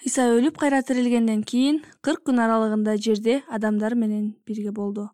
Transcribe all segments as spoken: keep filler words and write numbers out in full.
Ыйса өлүп кайра тирилгенден кийин кырк күн аралыгында жерде адамдар менен бирге болду.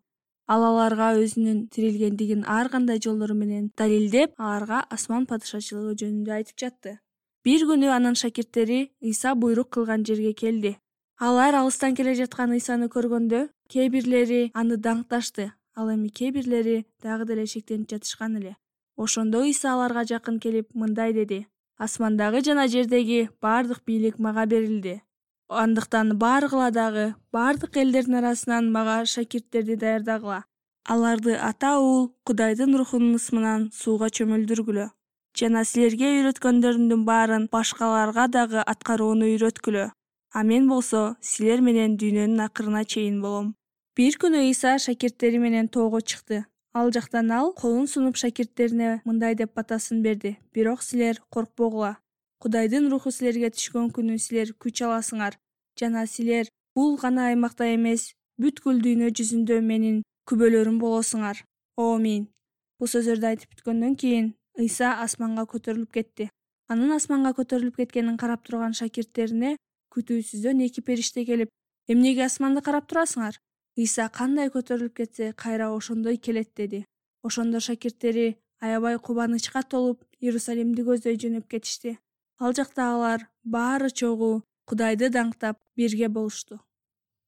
Ал аларга өзүнүн тирилгендигин ар кандай жолдор менен далилдеп, аларга асман падышачылыгы жөнүндө айтып жатты. Бир күнү анын шакирттери Ыйса буйрук кылган жерге келди. Алар алыстан келе жаткан Ыйсаны көргөндө кээ бирлери аны даңкташты, ал эми кээ бирлери дагы деле шектенип жатышкан эле. Ошондо Ыйса аларга жакын келип мындай деди: «Асмандагы жана жердеги бардык бийлик мага берилди. Андыктан баргыла дагы бардык элдердин арасынан мага шакирттерди даярдагыла. Аларды Ата Уул Кудайдын Рухунун ысмынан сууга чөмүлдүргүлө. Жана силерге үйрөткөндөрүмдүн баарын башкаларга дагы аткарууну үйрөткүлө. А мен болсо силер менен дүйнөнүн акырына чейин болом». Бир күнү Ыйса шакирттери менен тоого чыкты. Ал жактан ал колун сунуп шакирттерине мындай деп батасын берди: «Бирок силер коркпогула. Кудайдын Руху силерге түшкөн күнү силер күч аласыңар, жана силер бул гана аймакта эмес, бүткүл дүйнө жүзүндө менин күбөлөрүм болосуңар. Омин». Бул сөздөрдү айтып бүткөндөн кийин Ыйса асманга көтөрүлүп кетти. Анын асманга көтөрүлүп кеткенин карап турган шакирттерине күтүүсүздөн эки периште келип: «Эмнеге асманды карап турасыңар? Ыйса кандай көтөрүлүп кетсе, кайра ошондой келет» деди. Ошондо шакирттери аябай кубанычка толуп Иерусалимди көздөй жөнөп кетишти. Ал жакта алар баары чогуу Кудайды даңктап бирге болушту.